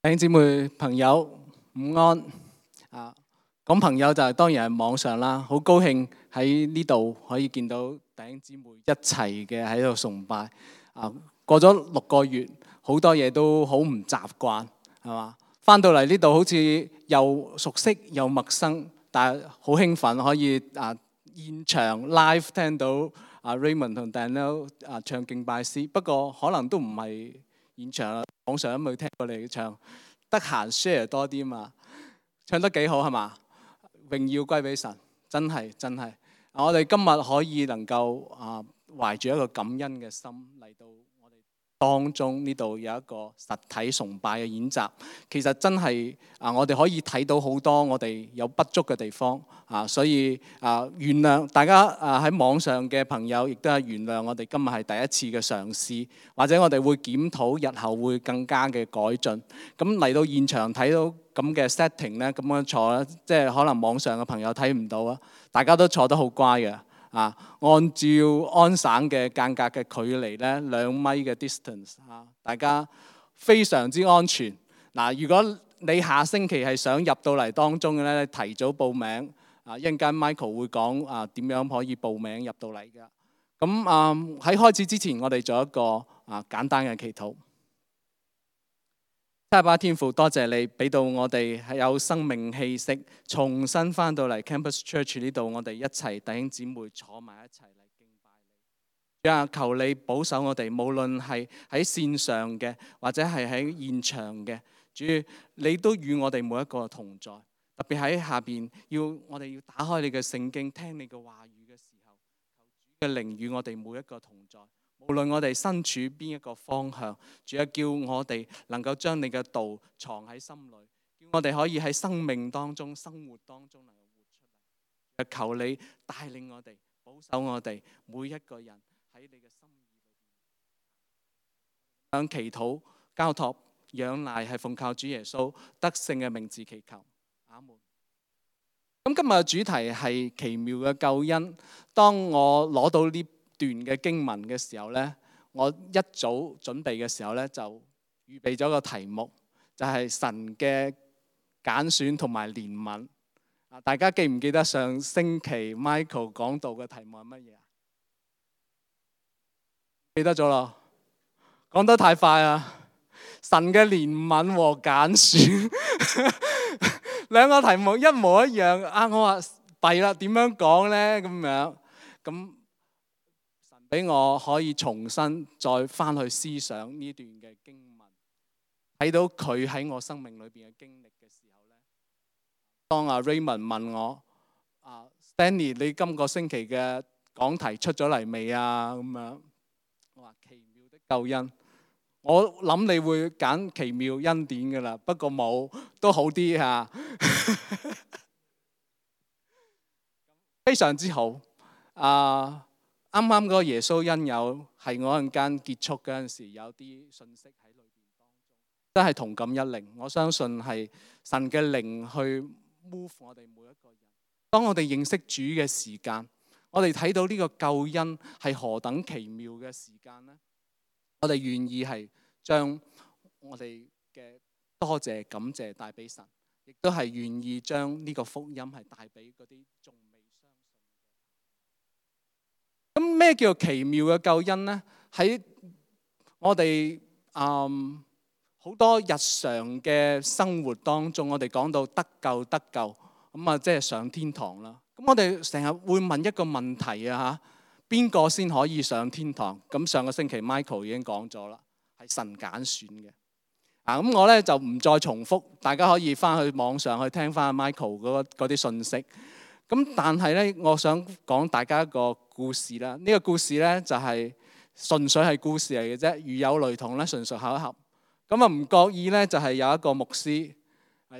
弟兄姊妹朋友午安啊！講朋友就當然係網上啦，好高興喺呢度可以見到弟兄姊妹一齊嘅喺度崇拜啊！過咗6個月，好多嘢都好唔習慣，係嘛？翻到嚟呢度好似又熟悉又陌生，但係好興奮可以現場 live 聽到Raymond 同 Daniel 唱敬拜詩。不過可能都唔係現場啦，網上都未聽過你唱，得閒 share 多啲嘛，唱得幾好係嘛？榮耀歸俾神，真係。我哋今日可以能夠懷住一個感恩嘅心嚟到我哋當中呢度有一個實體崇拜嘅演習，其實真係我哋可以睇到好多我哋有不足嘅地方所以原諒大家喺網上嘅朋友，亦都係原諒我哋今日係第一次嘅嘗試，或者我哋會檢討日後會更加嘅改進。咁嚟到現場睇到咁嘅 setting 咧，咁樣坐咧，即係可能網上嘅朋友睇唔到啊，大家都坐得好乖嘅按照安省嘅間隔嘅距離咧，2米嘅 distance 大家非常之安全。如果你下星期係想入到嚟當中嘅咧，提早報名一陣間 Michael 會講點樣可以報名入到嚟㗎。咁喺開始之前，我哋做一個簡單嘅祈禱。七八天父，多謝你俾到我哋係有生命氣息，重新翻到嚟 Campus Church 呢度，我哋一齊弟兄姊妹坐埋一齊嚟敬拜你。求你保守我哋，無論係喺線上嘅，或者係喺現場嘅，主你都與我哋每一個同在。特別喺下邊，我哋要打開你嘅聖經，聽你嘅話語嘅時候，求主嘅靈與我哋每一個同在。無論我哋身處邊一個方向，主啊，叫我哋能夠將你嘅道藏喺心裏，叫我哋可以喺生命當中、生活當中能夠活出嚟。求你帶領我哋，保守我哋每一個人喺你嘅心意裏邊。向祈禱、交託、仰賴係奉靠主耶穌得勝嘅名字祈求，阿門。咁今日嘅主題係奇妙嘅救恩。當我攞到呢段嘅經文嘅時候呢，我一早準備嘅時候呢，就預備咗個題目，就係神嘅揀選同埋憐憫。大家記唔記得上星期 Michael 講到嘅題目係乜嘢？記得咗咯，講得太快啊！神嘅憐憫和揀選兩個題目一模一樣我話弊啦，點樣講呢？咁樣咁。俾我可以重新再翻去思想呢段嘅經文，睇到佢喺我生命裏邊嘅經歷嘅時候咧，當Raymond 問我Stanley 你今個星期嘅講題出咗嚟未啊？咁樣我話奇妙的救恩，我諗你會揀奇妙恩典㗎啦，不過冇都好啲嚇，非常之好啱啱嗰個耶穌恩友係我陣間結束嗰陣時有啲信息喺裏邊當中，真係同感一靈。我相信係神嘅靈去 move 我哋每一個人。當我哋認識主嘅時間，我哋睇到呢個救恩係何等奇妙嘅時間呢？我哋願意係將我哋嘅多謝感謝帶俾神，亦都係願意將呢個福音係帶俾嗰啲仲未相信。咁咩叫奇妙嘅救恩呢？喺我哋好多日常嘅生活當中，我哋講到得救咁即係上天堂啦。咁我哋成日會問一個問題邊個先可以上天堂？咁上個星期 Michael 已經講咗啦，係神揀選嘅。咁我咧就唔再重複，大家可以翻去網上去聽翻 Michael 嗰啲信息。咁但係咧，我想講大家一個故事啦。呢個故事咧就係純粹係故事嚟嘅啫，如有雷同咧，純屬巧合。咁唔覺意咧，就係有一個牧師，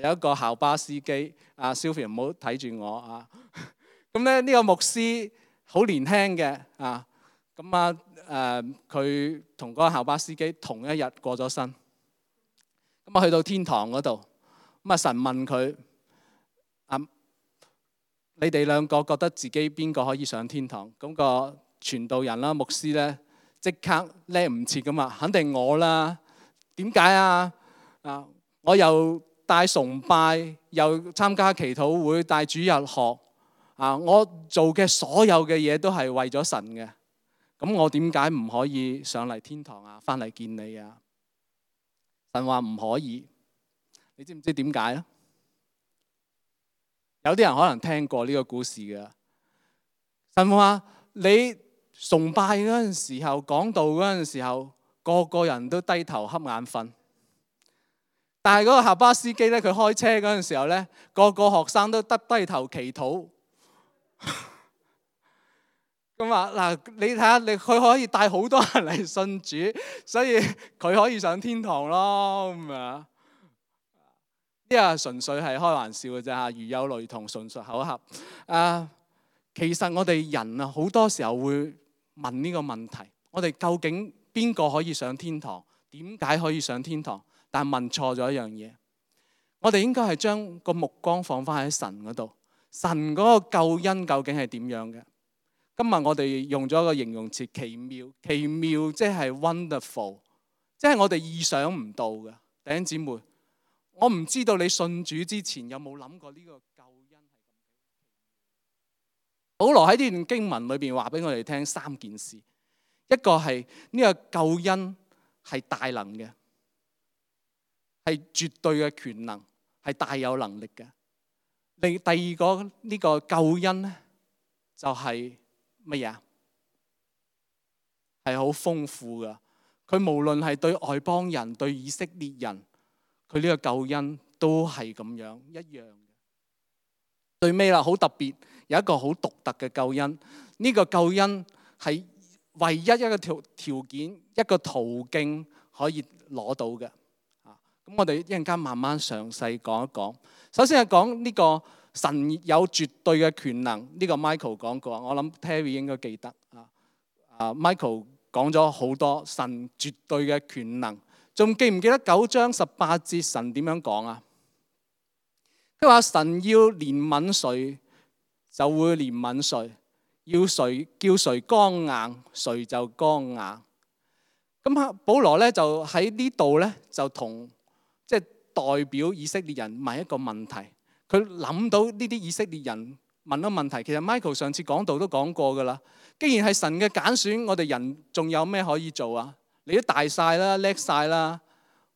有一個校巴司機。Sylvia 唔好睇住我咁咧呢個牧師好年輕嘅佢同嗰個校巴司機同一日過咗身。咁去到天堂嗰度，神問佢你哋兩個覺得自己邊個可以上天堂？咁個傳道人啦、牧師咧，即刻叻唔切咁話，肯定我啦。點解我又帶崇拜，又參加祈禱會，帶主日學，我做嘅所有嘅嘢都係為咗神嘅。咁我點解唔可以上嚟天堂啊？翻嚟見你啊？神話唔可以，你知唔知點解咧？有啲人可能聽過呢個故事嘅。神話你崇拜嗰陣時候，講道嗰陣時候，個個人都低頭瞌眼瞓。但係嗰個校巴司機咧，佢開車嗰陣時候咧，個個學生都低頭祈禱。咁啊嗱，你睇下，佢可以帶好多人嚟信主，所以佢可以上天堂咯。咁啊，呢個純粹係開玩笑嘅啫嚇，如有雷同，純屬巧合。其實我哋人啊，好多時候會問呢個問題：我哋究竟邊個可以上天堂？點解可以上天堂？但係問錯咗一樣嘢，我哋應該係將個目光放翻喺神嗰度。神嗰個救恩究竟係點樣嘅？今日我哋用咗一個形容詞，奇妙。奇妙即係 wonderful， 即係我哋意想唔到嘅。弟兄姊妹，我唔知道你信主之前有冇諗過呢個救恩係咁。保羅喺呢段經文裏邊話俾我哋聽三件事，一個係呢個救恩係大能嘅，係絕對嘅權能，係大有能力嘅。第二個呢個救恩咧，就係乜嘢啊？係好豐富噶。佢無論係對外邦人、對以色列人，佢呢個救恩都係咁樣一樣嘅。最尾啦，好特別，有一個好獨特嘅救恩。呢個救恩係唯一一個條件、一個途徑可以攞到嘅。咁我哋一陣間慢慢詳細講一講。首先係講呢個神有絕對嘅權能，呢個 Michael 講過，我諗 Terry 應該記得。Michael 講咗好多神絕對嘅權能，仲記唔記得9章18節神點樣講啊？佢話神要憐憫誰就會憐憫誰，要誰叫誰剛硬，誰就剛硬。咁保羅咧就喺呢度咧就同即係代表以色列人問一個問題。佢諗到呢啲以色列人問咗問題，其實 Michael 上次講道都講過噶啦。既然係神嘅揀選，我哋人仲有咩可以做啊？你都大晒啦，叻晒啦，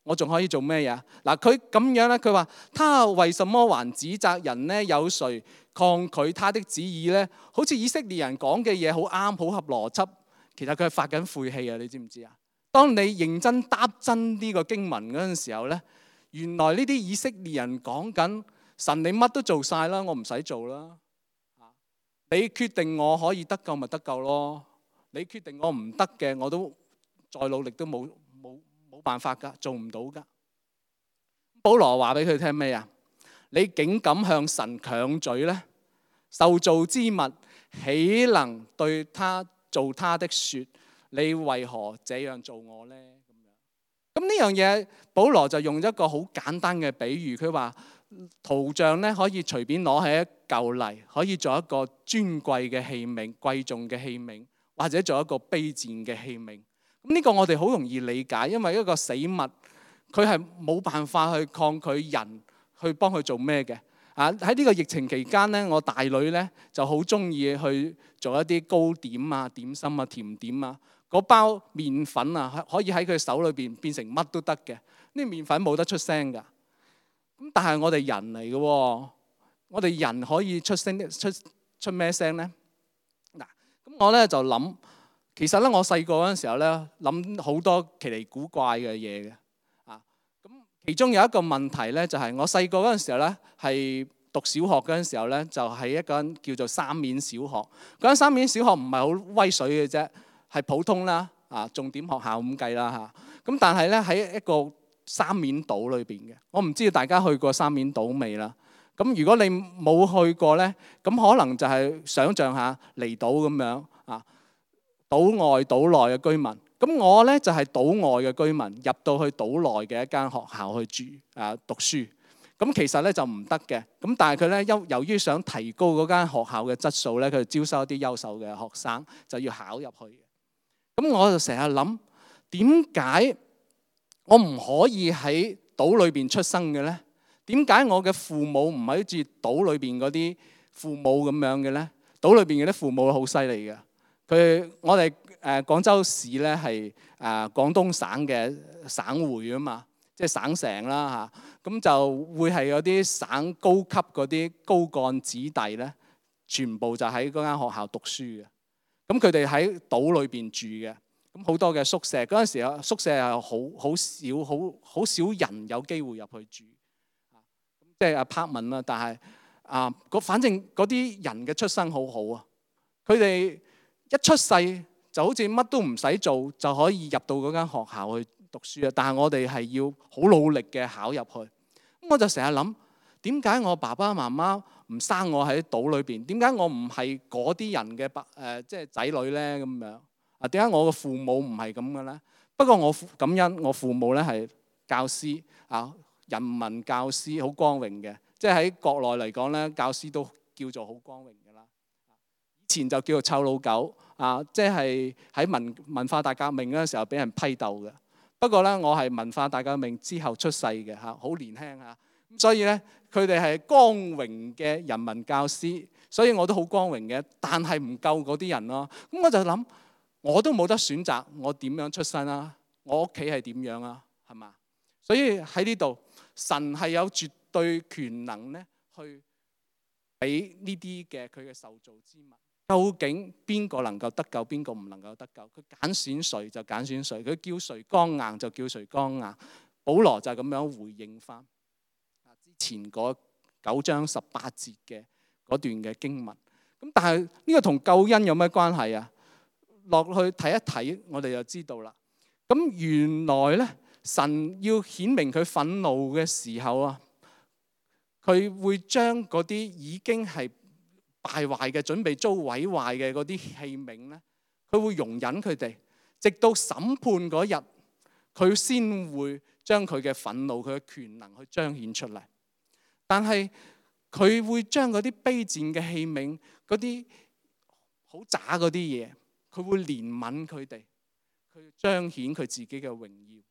我仲可以做咩嘢？嗱，佢咁樣咧，佢話：他為什麼還指責人呢？有誰抗拒他的旨意呢？好似以色列人講嘅嘢好啱，好合邏輯。其實佢係發緊晦氣啊！你知唔知啊？當你認真答真呢個經文嗰陣時候咧，原來呢啲以色列人講緊神，你乜都做晒啦，我唔使做啦。你決定我可以得救咪得救咯？你決定我唔得嘅，我都再努力都冇辦法噶，做唔到噶。保羅話俾佢聽咩啊？你竟敢向神強嘴呢？受造之物豈能對他做他的說？你為何這樣做我呢？咁呢樣嘢，保羅就用一個好簡單嘅比喻，佢話圖像咧可以隨便攞起一嚿泥，可以做一個尊貴嘅器皿、貴重嘅器皿，或者做一個卑賤嘅器皿。咁呢個我哋好容易理解，因為一個死物，佢係冇辦法去抗拒人去幫佢做咩嘅。喺呢個疫情期間咧，我大女咧就好中意去做一啲糕點啊、點心啊、甜點啊。嗰包麵粉啊，可以喺佢手裏邊變成乜都得嘅。呢麵粉冇得出聲㗎。咁但係我哋人嚟嘅，我哋人可以出聲出咩聲咧？嗱，咁我咧就諗，其實咧我細個嗰陣時候咧諗好多奇離古怪嘅嘢嘅。咁其中有一個問題咧，就係我細個嗰陣時候咧係讀小學嗰陣時候咧，就喺一間叫做三面小學。嗰間三面小學唔係好威水嘅啫。係普通啦，重點學校咁計啦嚇。咁但係咧喺一個三面島裏邊嘅，我唔知道大家去過三面島未啦。咁如果你冇去過咧，咁可能就係想像下離島咁樣啊，島外島內嘅居民。咁我咧就係島外嘅居民，入到去島內嘅一間學校去住讀書。咁其實咧就唔得嘅。咁但係佢咧由於想提高嗰間學校嘅質素咧，佢就招收一啲優秀嘅學生，就要考入去。咁我就成日諗，點解我唔可以喺島裏邊出生嘅咧？點解我嘅父母唔係好似島裏邊嗰啲父母咁樣嘅咧？島裏邊嘅啲父母好犀利嘅。我哋廣州市咧係廣東省嘅省會啊嘛，即係省城啦嚇。咁就會係有啲省高級嗰啲高幹子弟咧，全部就喺嗰間學校讀書嘅。咁佢哋喺島裏邊住嘅。咁好多嘅宿舍，嗰陣時啊，宿舍係好少人有機會入去住，即係 apartment 啦。但係反正嗰啲人嘅出生好好啊，佢哋一出世就好似乜都唔使做就可以入到嗰間學校去讀書啊。但係我哋係要好努力嘅考入去。咁我就成日諗，點解我爸爸媽媽唔生我喺島裏邊？點解我唔係嗰啲人嘅即係仔女咧？咁樣。點解我嘅父母唔係咁嘅咧？不過我感恩我父母咧係教師人民教師，好光榮嘅。即係喺國內嚟講咧，教師都叫做好光榮嘅啦。以前就叫做臭老狗即係喺文化大革命嗰陣時候俾人批鬥嘅。不過咧，我係文化大革命之後出世嘅好年輕咁所以咧佢哋係光榮嘅人民教師，所以我都好光榮嘅。但係唔夠嗰啲人咯。咁我就諗。我都冇得選擇，我點樣出身啊？我屋企係點樣啊？係嘛？所以喺呢度，神係有絕對權能咧，去俾呢啲嘅佢嘅受造之物。究竟邊個能夠得救，邊個唔能夠得救？佢揀選誰就揀選誰，佢叫誰剛硬就叫誰剛硬。保羅就係咁樣回應翻之前嗰9章18節嘅嗰段嘅經文。咁但係呢個同救恩有咩關係啊？落去睇一睇，我哋就知道啦。咁原來咧，神要顯明佢憤怒嘅時候啊，佢會將嗰啲已經係敗壞嘅、準備遭毀壞嘅嗰啲器皿咧，佢會容忍佢哋，直到審判嗰日，佢先會將佢嘅憤怒、佢嘅權能去彰顯出嚟。但係佢會將嗰啲卑賤嘅器皿、嗰啲好渣嗰啲嘢，佢會憐憫佢哋，佢彰顯佢自己嘅榮耀。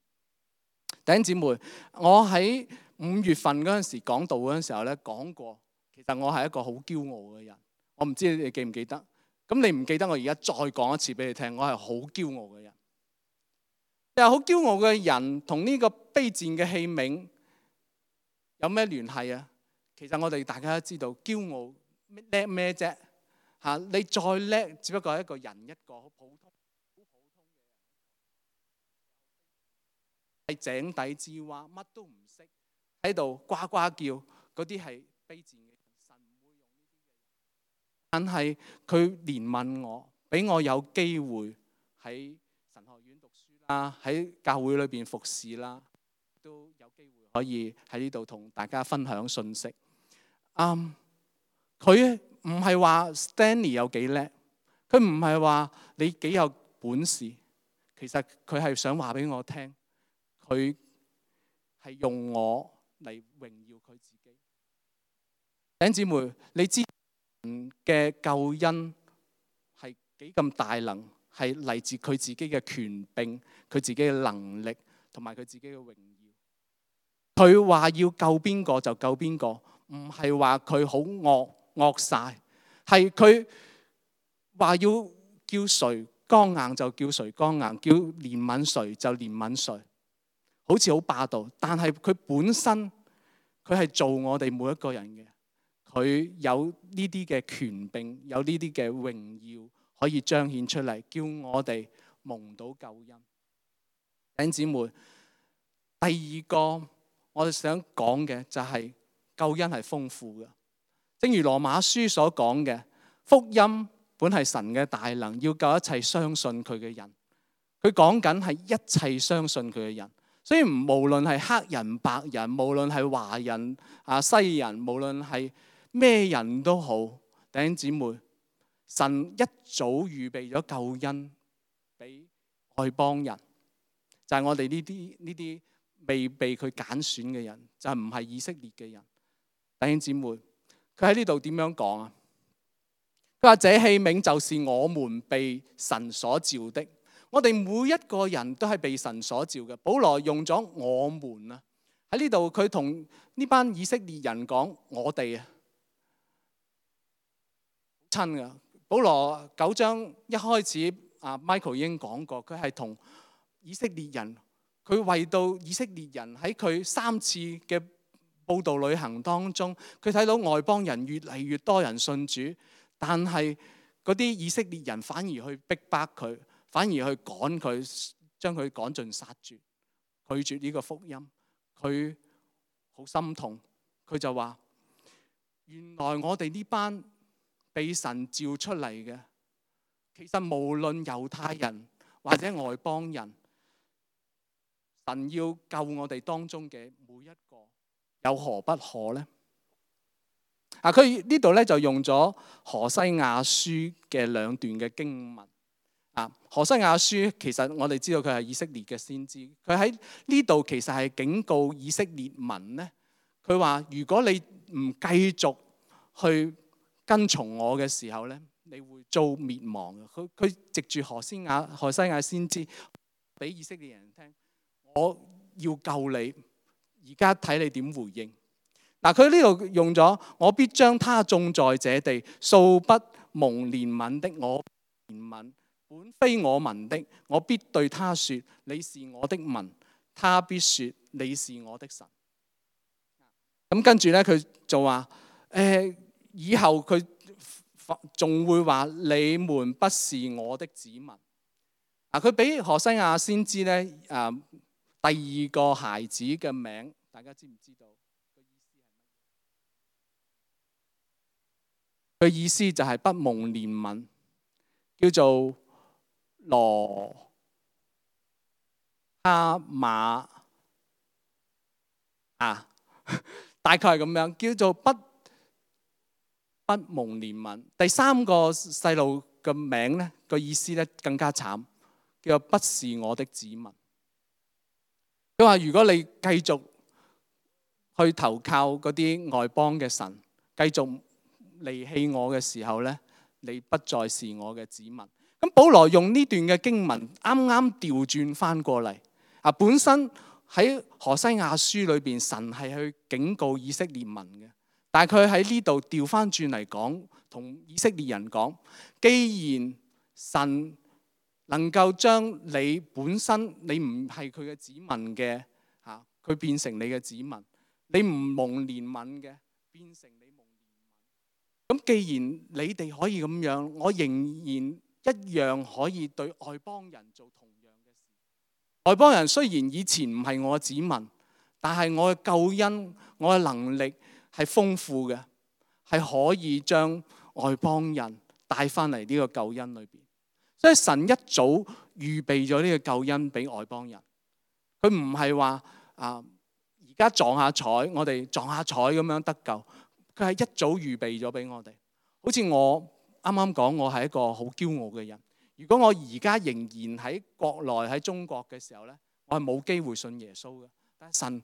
弟兄姊妹，我喺5月份嗰陣時講道嗰陣時候咧講過，其實我係一個好驕傲嘅人。我唔知你記唔記得？咁你唔記得，我而家再講一次俾你聽，我係好驕傲嘅人。又好驕傲嘅人同呢個卑賤嘅器皿有咩聯繫啊？其實我哋大家都知道，驕傲叻咩啫？你再叻，只不過係一個人，一個好普通嘅人，係井底之蛙，乜都唔識，喺度呱呱叫，嗰啲係卑賤嘅人。神唔會用呢啲嘅人，但係佢憐憫我，俾我有機會喺神學院讀書啦，喺教會裏邊服侍啦，都有機會可以喺呢度同大家分享信息。佢唔係話 Stanley 有幾叻，佢唔係話你幾有本事，其實佢係想話俾我聽，佢係用我嚟榮耀佢自己。弟兄姊妹，你知神嘅救恩係幾咁大能，係嚟自佢自己嘅權柄、佢自己嘅能力同埋佢自己嘅榮耀。佢話要救邊個就救邊個，唔係話佢好惡晒，係佢話要叫誰剛硬就叫誰剛硬，叫憐憫誰就憐憫誰，好似好霸道。但係佢本身佢係做我哋每一個人嘅，佢有呢啲嘅權柄，有呢啲嘅榮耀可以彰顯出嚟，叫我哋蒙到救恩。弟兄姊妹，第二個我哋想講嘅就係救恩係豐富嘅。正如羅馬書所講嘅，福音本係神嘅大能，要救一切相信佢嘅人。佢講緊係一切相信佢嘅人，所以無論係黑人、白人，無論係華人、西人，無論係咩人都好，弟兄姊妹，神一早預備咗救恩俾外邦人，就係我哋呢啲未被佢揀選嘅人，就係唔係以色列嘅人。弟兄姊妹，佢喺呢度點樣講啊？佢話：這器皿就是我們被神所召的。我哋每一個人都係被神所召嘅。保羅用咗我們啊，喺呢度佢同呢班以色列人講：我哋啊親㗎。保羅9章一開始Michael 已經講過，佢係同以色列人，佢為到以色列人喺佢3次嘅佈道旅行當中，佢睇到外邦人越嚟越多人信主，但係嗰啲以色列人反而去逼迫佢，反而去趕佢，將佢趕盡殺絕，拒絕呢個福音。佢好心痛，佢就話：原來我哋呢班被神召出嚟嘅，其實無論猶太人或者外邦人，神要救我哋當中嘅每一個，有何不可呢？佢呢度咧就用咗何西亞書嘅2段嘅經文。何西亞書其實我哋知道佢係以色列嘅先知，佢喺呢度其實係警告以色列民呢，佢話如果你唔繼續去跟從我嘅時候咧，你會遭滅亡嘅。佢藉住何西亞先知俾以色列人聽，我要救你，而家睇你點回應。佢呢度用咗：我必將他種在這地，素不蒙憐憫的，我憐憫；本非我民的，我必對他說：你是我的民。他必說：你是我的神。咁跟住咧，佢就話：以後佢仲會話你們不是我的子民。佢俾何西亞先知咧第2個孩子嘅名，大家知唔知道？佢意思就係不蒙憐憫，叫做羅哈馬大概係咁樣，叫做不蒙憐憫。第3個細路嘅名咧，個意思咧更加慘，叫做不是我的子民。佢話如果你繼續去投靠嗰啲外邦嘅神，繼續離棄我嘅時候咧，你不再是我嘅子民。咁保羅用呢段嘅經文啱啱調轉翻過嚟。本身喺何西亞書裏邊，神係去警告以色列民嘅，但係佢喺呢度調翻轉嚟講，同以色列人講：既然神能夠將你本身你唔係佢嘅子民嘅佢變成你嘅子民，你唔蒙憐憫嘅變成你蒙憐憫。咁既然你哋可以咁樣，我仍然一樣可以對外邦人做同樣嘅事。外邦人雖然以前唔係我嘅子民，但係我嘅救恩，我嘅能力係豐富嘅，係可以將外邦人帶翻嚟呢個救恩裏邊。所以神一早預備咗呢個救恩俾外邦人，佢唔係話而家撞下彩，我哋撞下彩咁樣得救。佢係一早預備咗俾我哋。好似我啱啱講，我係一個好驕傲嘅人。如果我而家仍然喺國內喺中國嘅時候咧，我係冇機會信耶穌嘅。但係神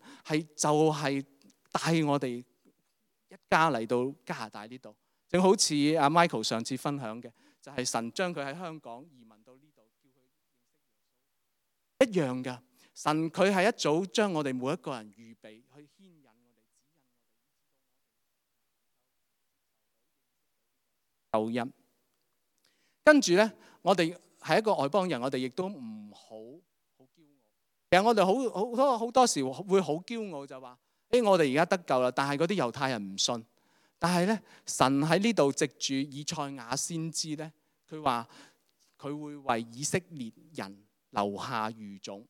就係帶我哋一家嚟到加拿大呢度，正好似阿 Michael 上次分享嘅，就係神將佢喺香港移民到呢度，叫佢認識耶穌一樣嘅。神佢係一早將我哋每一個人預備去牽引我哋、指引我哋救恩。跟住咧，我哋係一個外邦人，我哋亦都唔好驕傲。其實我哋好多時會好驕傲，就話：我哋而家得救啦，但係嗰啲猶太人唔信。但係咧，神喺呢度藉住以賽亞先知咧，佢話佢會為以色列人留下餘種。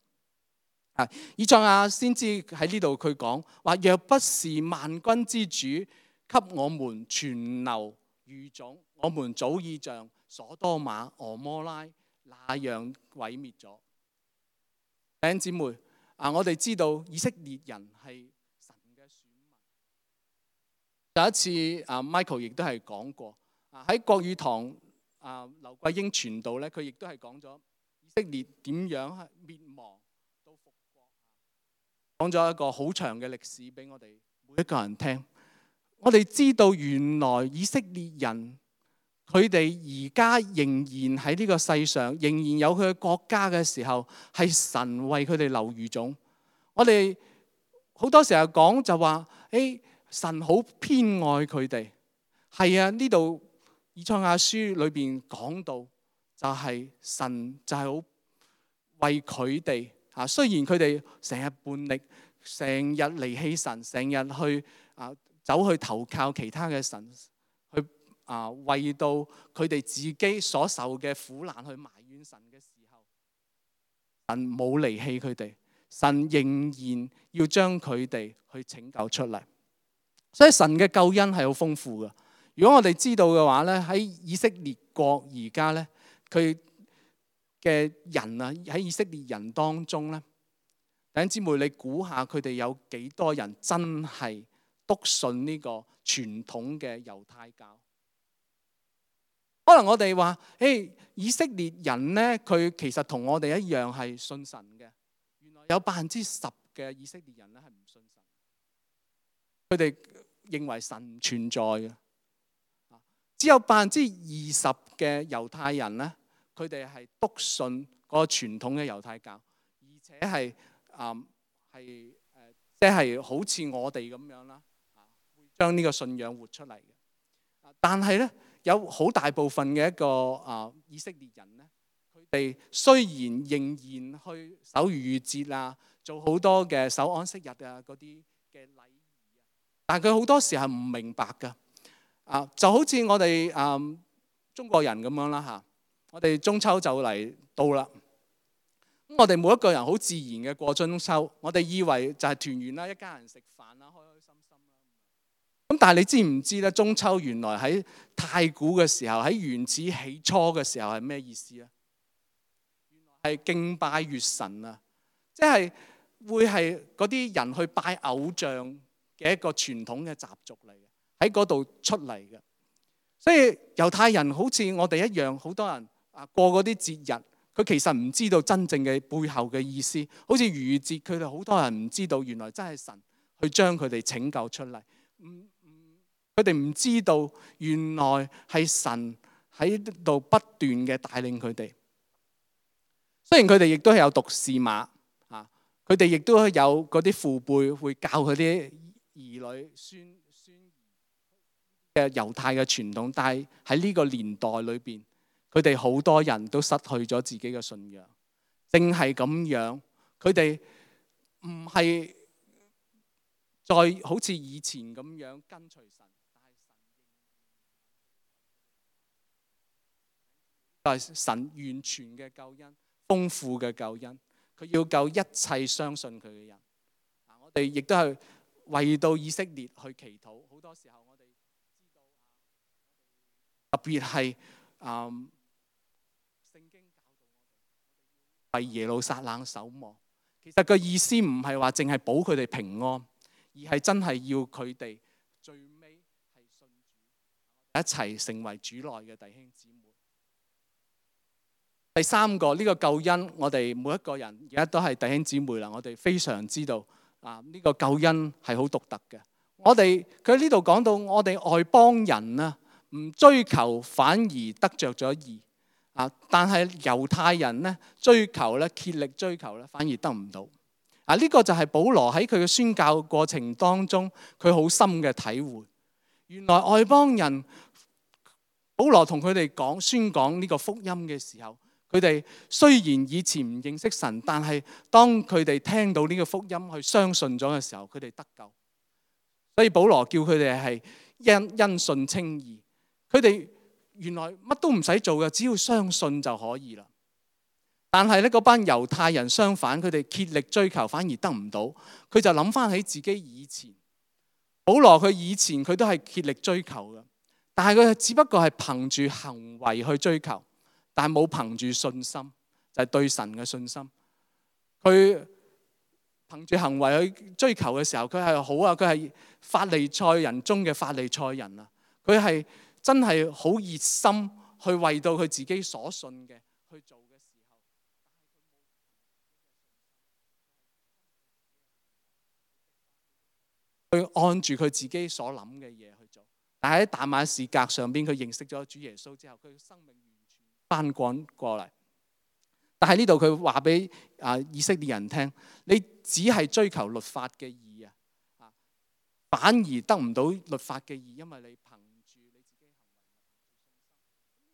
以賽亞先知喺呢度佢講話：若不是萬軍之主給我們存留餘種，我們早已像所多瑪、俄摩拉那樣毀滅咗。弟兄姊妹，我哋知道以色列人係神嘅選民。有一次Michael 亦都係講過，喺國語堂劉桂英傳道咧，佢亦都係講咗以色列點樣滅亡到復國，講咗一個好長嘅歷史俾我哋每一個人聽。我哋知道原來以色列人，佢哋而家仍然喺呢個世上，仍然有佢嘅國家嘅時候，係神為佢哋留餘種。我哋好多時候講就話，神好偏愛佢哋。係啊，呢度以賽亞書裏邊講到，就係神就係好為佢哋啊。雖然佢哋成日叛逆，成日離棄神，成日去走去投靠其他嘅神，去為到佢哋自己所受嘅苦難去埋怨神嘅時候，神冇離棄佢哋，神仍然要將佢哋去拯救出嚟。所以神嘅救恩係好豐富嘅。如果我哋知道嘅話咧，喺以色列國而家咧，佢嘅人啊，喺以色列人當中咧，弟兄姊妹，你估下佢哋有幾多人真係篤信呢個傳統嘅猶太教？可能我哋話，以色列人咧，佢其實同我哋一樣係信神嘅。原來有10%嘅以色列人咧係唔信神，佢哋認為神唔存在嘅。只有20%嘅猶太人咧，佢哋係篤信嗰個傳統嘅猶太教，而且係即係好似我哋咁樣啦，會將呢個信仰活出嚟嘅。但係咧，有好大部分嘅一個以色列人咧，佢哋雖然仍然去守逾越節啊，做好多嘅守安息日啊嗰啲嘅禮儀啊，但係佢好多時係唔明白㗎。就好似我哋中國人咁樣啦嚇，我哋中秋就嚟到啦。咁我哋每一個人好自然嘅過中秋，我哋以為就係團圓啦，一家人食飯啦，開開心心啦。咁但係你知唔知咧？中秋原來喺太古嘅時候，喺原始起初嘅時候係咩意思啊？原來係敬拜月神啊，即係會係嗰啲人去拜偶像嘅一個傳統嘅習俗嚟嘅。喺嗰度出嚟嘅，所以猶太人好似我哋一樣，好多人過嗰啲節日，佢其實唔知道真正嘅背後嘅意思。好似逾越節，佢哋好多人唔知道，原來真係神去將佢哋拯救出嚟。佢哋唔知道原來係神喺度不斷嘅帶領佢哋。雖然佢哋亦都係有讀士碼啊，佢哋亦都有嗰啲父輩會教佢啲兒女孫嘅猶太嘅傳統，但係喺呢個年代裏邊，佢哋好多人都失去咗自己嘅信仰。正係咁樣，佢哋唔係再好似以前咁樣跟隨神，但係神完全嘅救恩、豐富嘅救恩，佢要救一切相信佢嘅人。我哋亦都係為到以色列去祈禱。好多時候我哋特別係聖經教導我哋為耶路撒冷守望。其實個意思唔係話淨係保佢哋平安，而係真係要佢哋最尾係信主，一齊成為主內嘅弟兄姊妹。第三個呢個救恩，我哋每一個人而家都係弟兄姊妹啦。我哋非常知道呢個救恩係好獨特嘅。佢喺呢度講到我哋外邦人啊，唔追求反而得着咗義但係猶太人咧追求咧，竭力追求咧，反而得唔到。呢個就係保羅喺佢嘅宣教過程當中，佢好深嘅體會。原來外邦人，保羅同佢哋宣講呢個福音嘅時候，佢哋雖然以前唔認識神，但係當佢哋聽到呢個福音去相信咗嘅時候，佢哋得救。所以保羅叫佢哋係因信稱義。佢哋原來乜都唔使做嘅，只要相信就可以啦。但係咧，嗰班猶太人相反，佢哋竭力追求，反而得唔到。佢就諗翻起自己以前，保羅佢以前佢都係竭力追求嘅，但係佢只不過係憑住行為去追求，但係冇憑住信心，就係對神嘅信心。佢憑住行為去追求嘅時候，佢係好啊，佢係法利賽人中嘅法利賽人啊，佢係真係好熱心去為到佢自己所信嘅去做嘅時候，佢按住佢自己所諗嘅嘢去做。但係喺大馬士革上邊，佢認識咗主耶穌之後，佢生命完全翻滾過嚟。但係呢度佢話俾以色列人聽，你只係追求律法嘅義啊，反而得唔到律法嘅義，因為你憑住你自己行為。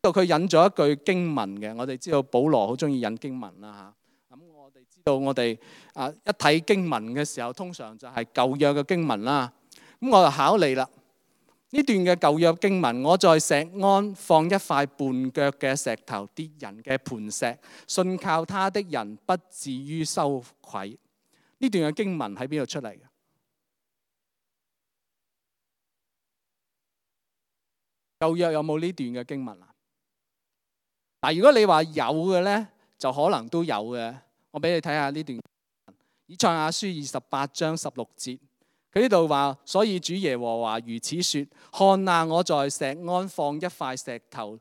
呢度佢引咗一句經文嘅，我哋知道保羅好中意引經文啦嚇。咁我哋知道我哋一睇經文嘅時候，通常就係舊約嘅經文啦。咁我就考你啦，呢段嘅舊約經文，我在錫安放一塊絆腳嘅石頭，跌人嘅磐石，信靠他的人不至於羞愧。呢段嘅經文喺邊度出嚟嘅？舊約有冇呢段嘅經文啊？嗱，如果你話有嘅咧，就可能都有嘅。我俾你睇下呢段，以賽亞書28章16節，佢呢度話：所以主耶和華如此說：看啊，我在錫安放一塊石頭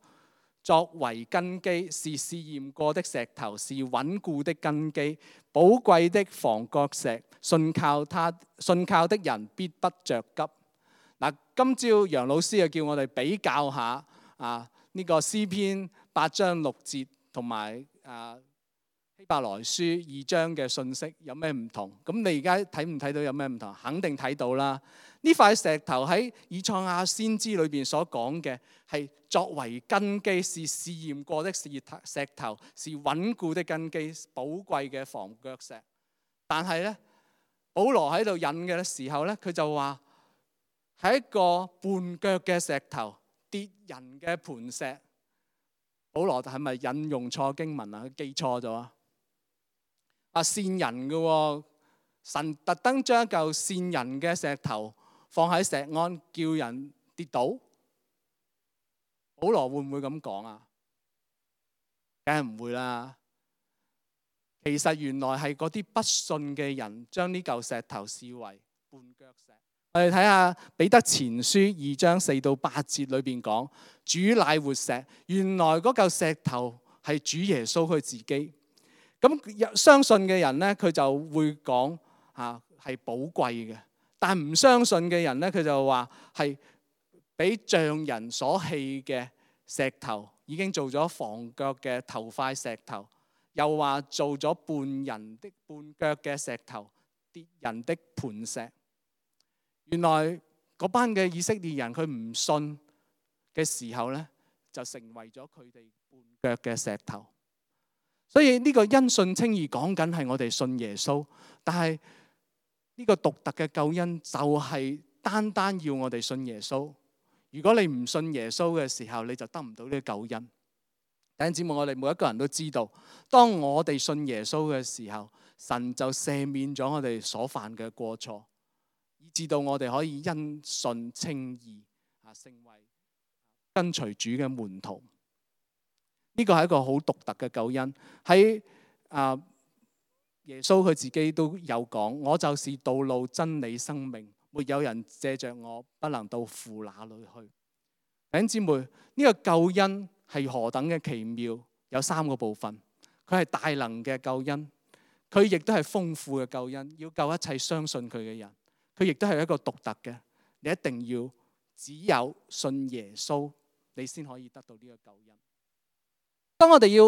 作為根基，是試驗過的石頭，是穩固的根基，寶貴的房角石，信靠的人必不着急。嗱，今朝楊老師就叫我哋比較下呢個詩篇8章6節同埋希伯來書2章嘅信息有咩唔同？咁你而家睇唔睇到有咩唔同？肯定睇到啦。呢塊石頭喺以賽亞先知裏邊所講嘅係作為根基，是試驗過的石頭，是穩固的根基，寶貴嘅房角石。但係咧，保羅喺度引嘅時候咧，佢就話係一個絆腳嘅石頭，跌人嘅磐石。保羅係咪引用錯經文啊？佢記錯咗啊！善人嘅神特登將一嚿善人嘅石頭放喺錫安，叫人跌倒。保羅會唔會咁講啊？梗係唔會啦。其實原來係嗰啲不信嘅人將呢嚿石頭視為絆腳石。我哋睇下彼得前書2章4到8節裏邊講，主乃活石。原來嗰嚿石頭係主耶穌佢自己。咁相信嘅人咧，佢就會講係寶貴嘅；但唔相信嘅人咧，佢就話係俾匠人所棄嘅石頭，已經做咗房角嘅頭塊石頭，又話做咗絆腳嘅石頭，跌人的磐石。原來嗰班嘅以色列人，佢唔信嘅時候咧，就成為咗佢哋絆腳嘅石頭。所以呢個因信稱義講緊係我哋信耶穌，但係呢個獨特嘅救恩就係單單要我哋信耶穌。如果你唔信耶穌嘅時候，你就得唔到呢個救恩。弟兄姊妹，我哋每一個人都知道，當我哋信耶穌嘅時候，神就赦免咗我哋所犯嘅過錯，以至到我哋可以因信稱義，成為跟隨主嘅門徒。呢個係一個好獨特嘅救恩。喺耶穌佢自己都有講：我就是道路、真理、生命，沒有人借着我不能到父那裏去。弟兄姊妹，呢個救恩係何等嘅奇妙？有3個部分。佢係大能嘅救恩，佢亦都係豐富嘅救恩，要救一切相信佢嘅人。佢亦都係一個獨特嘅，你一定要只有信耶穌，你先可以得到呢個救恩。當我哋要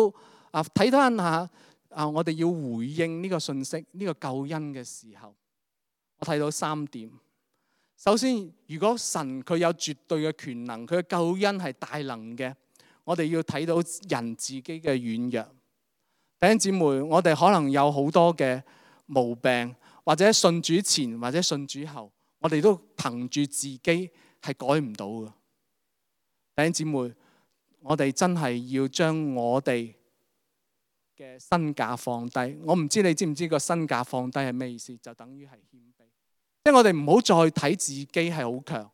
睇翻下我哋要回應呢個信息、呢個救恩嘅時候，我睇到3點。首先，如果神佢有絕對嘅權能，佢嘅救恩係大能嘅，我哋要睇到人自己嘅軟弱。弟兄姊妹，我哋可能有好多嘅毛病，或者信主前或者信主後，我哋都憑住自己係改唔到嘅。弟兄姊妹，我哋真係要將我哋嘅身價放低。我唔知你知唔知個身價放低係咩意思？就等於係謙卑，即係我哋唔好再睇自己係好強，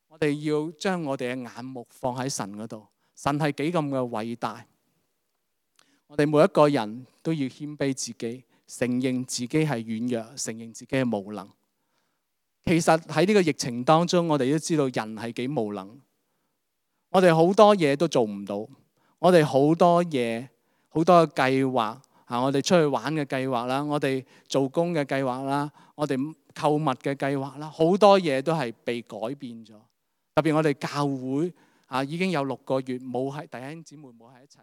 我哋要將我哋嘅眼目放喺神嗰度。神係幾咁嘅偉大，我哋每一個人都要謙卑自己，承認自己係軟弱，承認自己係無能。其實喺呢個疫情當中，我哋都知道人係幾無能。我哋好多嘢都做唔到，我哋好多嘢好多嘅計劃我哋出去玩嘅計劃啦，我哋做工嘅計劃啦，我哋購物嘅計劃啦，好多嘢都係被改變咗。特別我哋教會已經有6個月冇係弟兄姊妹冇喺一齊，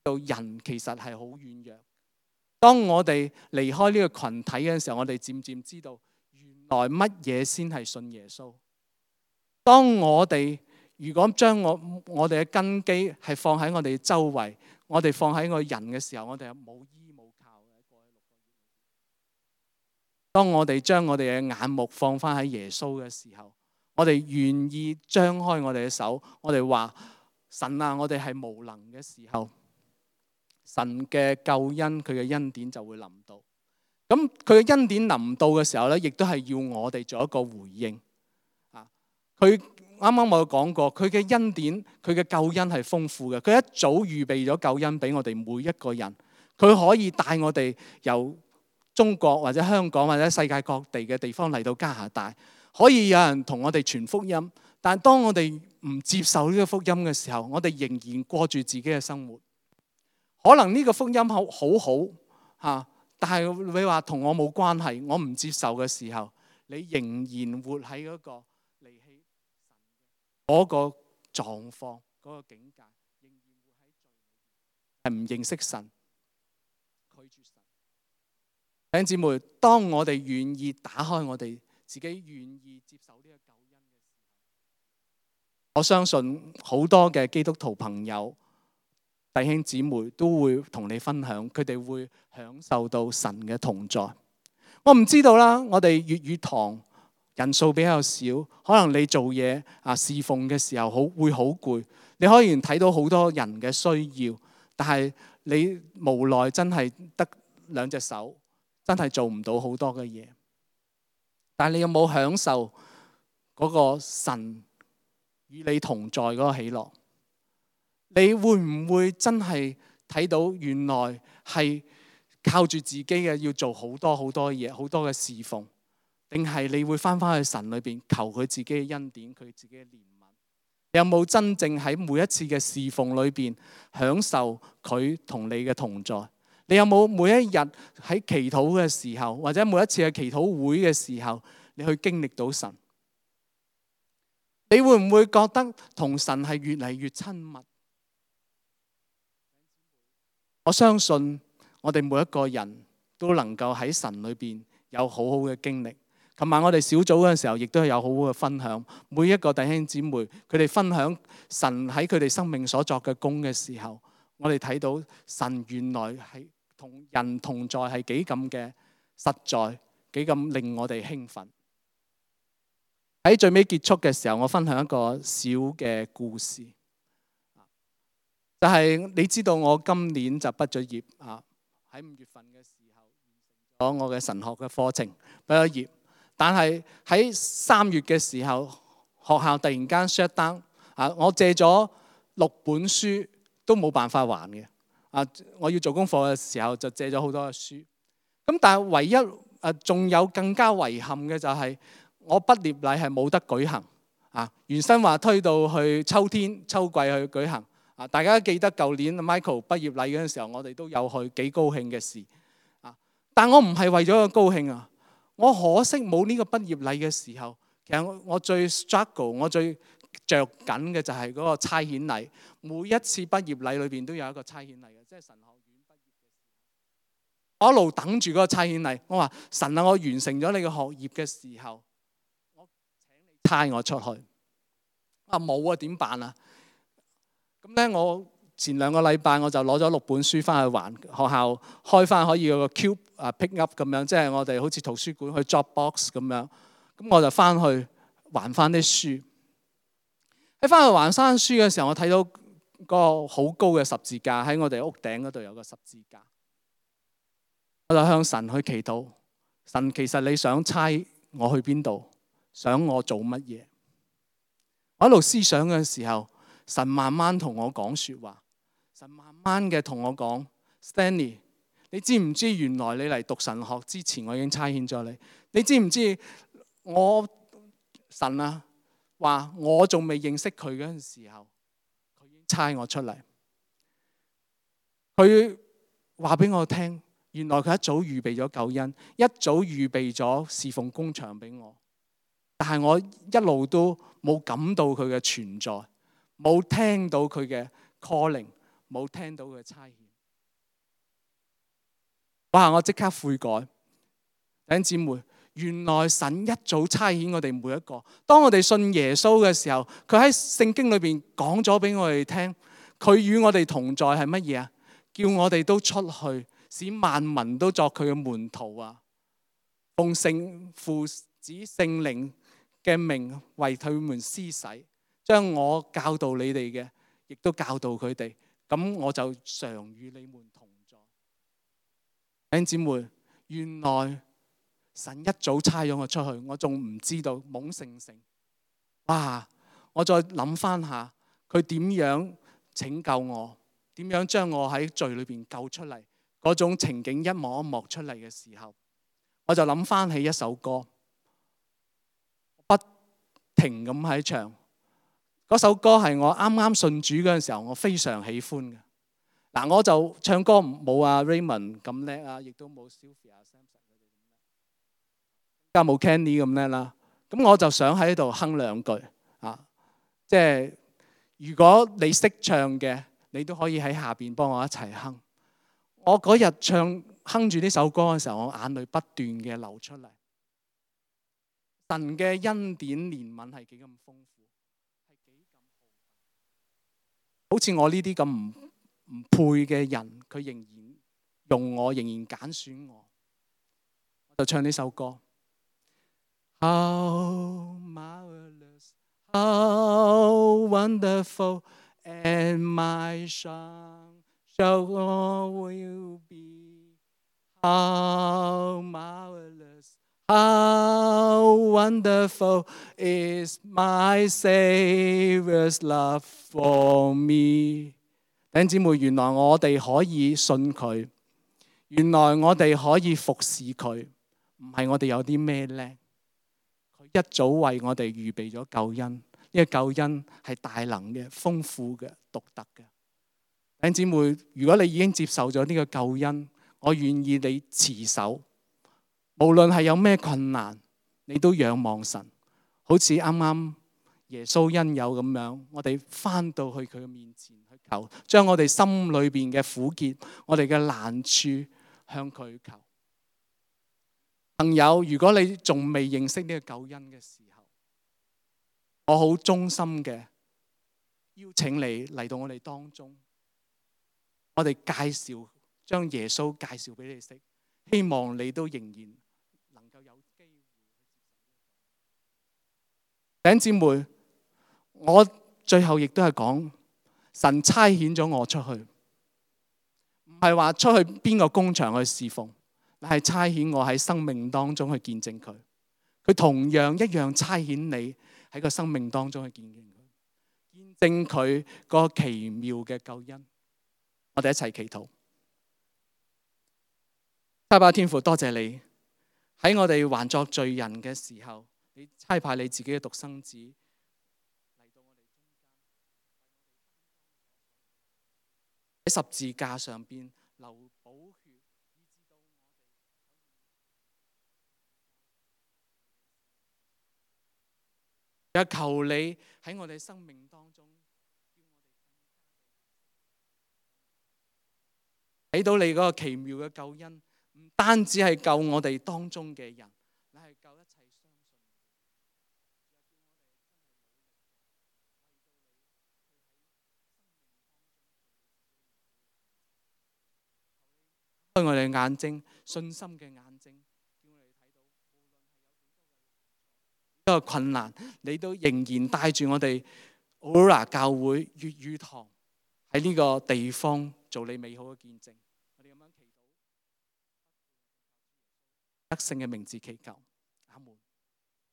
我哋知道人其實係好軟弱。當我哋離開呢個群體嘅時候，我哋漸漸知道原來乜嘢先係信耶穌。當我哋如果將我哋嘅根基係放喺我哋周圍，我哋放喺個人嘅時候，我哋係冇依冇靠嘅。當我哋將我哋嘅眼目放翻喺耶穌嘅時候，我哋願意張開我哋嘅手，我哋話神啊，我哋係無能嘅時候，神嘅救恩佢嘅恩典就會臨到。咁佢嘅恩典臨到嘅時候咧，亦都係要我哋做一個回應。佢啱啱我有講過，佢嘅恩典，佢嘅救恩係豐富嘅。佢一早預備咗救恩俾我哋每一個人。佢可以帶我哋由中國或者香港或者世界各地嘅地方嚟到加拿大，可以有人同我哋傳福音。但係當我哋唔接受呢個福音嘅時候，我哋仍然過住自己嘅生活。可能呢個福音好嚇，但係你話同我冇關係，我唔接受嘅時候，你仍然活喺嗰個離棄神嗰個狀況、嗰個境界，仍然活喺罪裏，係唔認識神、拒絕神。弟兄姊妹，當我哋願意打開我哋自己，願意接受呢個救恩嘅時候，我相信好多嘅基督徒朋友、弟兄姊妹都會同你分享，佢哋會享受到神嘅同在。我唔知道啦，我哋粵語堂人數比較少，可能你做嘢侍奉嘅時候會好攰，你可以睇到好多人嘅需要，但係你無奈真係得兩隻手，真係做唔到好多嘅嘢。但係你有冇享受嗰個神與你同在嗰個喜樂？你會唔會真係睇到原來係靠住自己嘅要做好多好多嘢，好多嘅侍奉，定係你會翻返去神裏邊求佢自己嘅恩典，佢自己嘅憐憫？你有冇真正喺每一次嘅侍奉裏邊享受佢同你嘅同在？你有冇每一日喺祈禱嘅時候，或者每一次嘅祈禱會嘅時候，你去經歷到神？你會唔會覺得同神係越嚟越親密？我相信我哋每一個人都能夠喺神裏邊有好好嘅經歷。琴晚我哋小組嗰陣時候，亦都係有好好嘅分享。每一個弟兄姊妹，佢哋分享神喺佢哋生命所作嘅工嘅時候，我哋睇到神原來係同人同在，係幾咁嘅實在，幾咁令我哋興奮。喺最尾結束嘅時候，我分享一個小嘅故事。就係你知道我今年就畢咗業啊，喺5月份嘅時候完成咗我嘅神學嘅課程，畢咗業。但係喺3月嘅時候，學校突然間 shut down 啊，我借咗6本書都冇辦法還嘅啊！我要做功課嘅時候就借咗好多嘅書。咁但係唯一仲有更加遺憾嘅就係我畢業禮係冇得舉行啊！原身話推到去秋季去舉行。大家記得舊年 Michael 畢業禮嗰陣時候，我哋都有去，幾高興嘅事。但我唔係為咗個高興啊！我可惜冇呢個畢業禮嘅時候，其實我最 struggle， 我最着緊嘅就係嗰個差遣禮。每一次畢業禮裏邊都有一個差遣禮嘅，即係神學院畢業嘅時候，我一路等住嗰個差遣禮。我話神啊，我完成咗你嘅學業嘅時候，我請你差我出去。冇啊，點辦啊？咁咧，我前2個禮拜我就攞咗6本書翻去還學校，開翻可以有個 cube pick up 咁樣，即係我哋好似圖書館去 Dropbox 咁樣。咁我就翻去還翻啲書。喺翻去還翻書嘅時候，我睇到個好高嘅十字架喺我哋屋頂嗰度有個十字架。我就向神去祈禱，神其實你想差我去邊度？想我做乜嘢？我喺度思想嘅時候，神慢慢同我講說話，神慢慢嘅同我講 Stanley， 你知唔知原來你嚟讀神學之前，我已經差遣咗你？你知唔知我神啊話我仲未認識佢嗰陣時候，佢已經差我出嚟。佢話俾我聽，原來佢一早預備咗救恩，一早預備咗侍奉工場俾我，但係我一路都冇感到佢嘅存在。冇聽到佢嘅 calling， 冇聽到佢嘅差遣。哇！我即刻悔改。弟兄姊妹，原來神一早差遣我哋每一個。當我哋信耶穌嘅時候，佢喺聖經裏邊講咗俾我哋聽，佢與我哋同在係乜嘢啊？叫我哋都出去，使萬民都作佢嘅門徒啊！奉聖父子聖靈嘅名為佢們施洗，將我教導你哋嘅，亦都教導佢哋。咁我就常與你們同在。弟兄姊妹，原來神一早差咗我出去，我仲唔知道，懵盛盛。哇！我再諗翻下，佢點樣拯救我，點樣將我喺罪裏邊救出嚟，嗰種情景一幕一幕出嚟嘅時候，我就諗翻起一首歌，不停咁喺唱。嗰首歌係我啱啱信主嗰陣時候，我非常喜歡嘅。嗱，我就唱歌冇阿 Raymond 咁叻啊，亦都冇 Sylvia、Samson 佢哋咁叻，加冇 Kenny 咁叻啦。咁我就想喺度哼兩句啊，即係如果你識唱嘅，你都可以喺下邊幫我一齊哼。我嗰日哼住呢首歌嘅時候，我眼淚不斷嘅流出嚟。神嘅恩典憐憫係幾咁豐富，係幾咁好似我呢啲咁唔配嘅人，佢仍然用我，仍然揀選我，我就唱呢首歌。How marvelous, how wonderful, and my song shall will be. How marvelous, how wonderful is my Savior's love for me. 弟兄姊妹，原來我哋可以信佢，原來我哋可以服侍佢，唔係我哋有啲咩叻，佢一早為我哋預備咗救恩。呢個救恩係大能嘅、豐富嘅、獨特嘅。弟兄姊妹，如果你已經接受咗呢個救恩，我願意你持守，無論係有咩困難，你都仰望神，好似啱啱耶穌恩友咁樣，我哋翻到去佢嘅面前去求，將我哋心裏邊嘅苦結、我哋嘅難處向佢求。朋友，如果你仲未認識呢個救恩嘅時候，我好衷心嘅邀請你嚟到我哋當中，我哋將耶穌介紹俾你識，希望你都仍然能夠有機會。弟兄姊妹，我最後亦都係講，神差遣咗我出去，唔係話出去邊個工場去侍奉，係差遣我喺生命當中去見證佢。佢同樣一樣差遣你喺個生命當中去見證佢，見證佢個奇妙嘅救恩。我哋一齊祈禱。差派天父，多謝你喺我哋還作罪人嘅時候，你差派你自己嘅獨生子嚟到我哋中間，喺十字架上邊流寶血，以致到我哋又求你喺我哋生命當中，睇到你嗰個奇妙嘅救恩。唔單止係救我哋當中嘅人，你係救一切相信你。開我哋眼睛，信心嘅眼睛，叫我哋睇到，無論係有幾多個困難，你都仍然帶住我哋 Aurora 教會粵語堂喺呢個地方做你美好嘅見證。我哋咁樣祈禱，得勝嘅名字祈求。